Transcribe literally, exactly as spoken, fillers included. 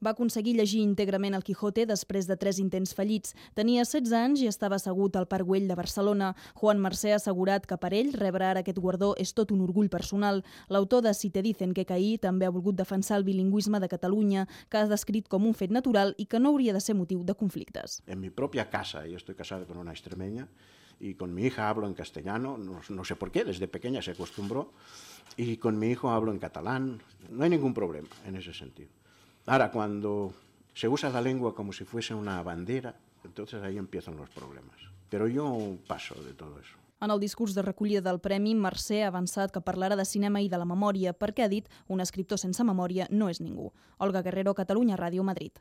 Va aconseguir llegir íntegrament el Quijote després de tres intents fallits. Tenia setze anys i estava assegut al Parc Güell de Barcelona. Juan Mercè ha assegurat que per ell rebre ara aquest guardó és tot un orgull personal. L'autor de Si te dicen que caí també ha volgut defensar el bilingüisme de Catalunya, que ha descrit com un fet natural i que no hauria de ser motiu de conflictes. En mi propia casa, yo estoy casado con una extremeña, y con mi hija hablo en castellano, no, no sé por qué, desde pequeña se acostumbró, y con mi hijo hablo en catalán. No hay ningún problema en ese sentido. Ahora, cuando se usa la lengua como si fuese una bandera, entonces ahí empiezan los problemas. Pero yo paso de todo eso. En el discurs de recollida del premi, Mercè ha avançat que parlarà de cinema i de la memòria, perquè ha dit un escriptor sense memòria no és ningú. Olga Guerrero, Catalunya Ràdio, Madrid.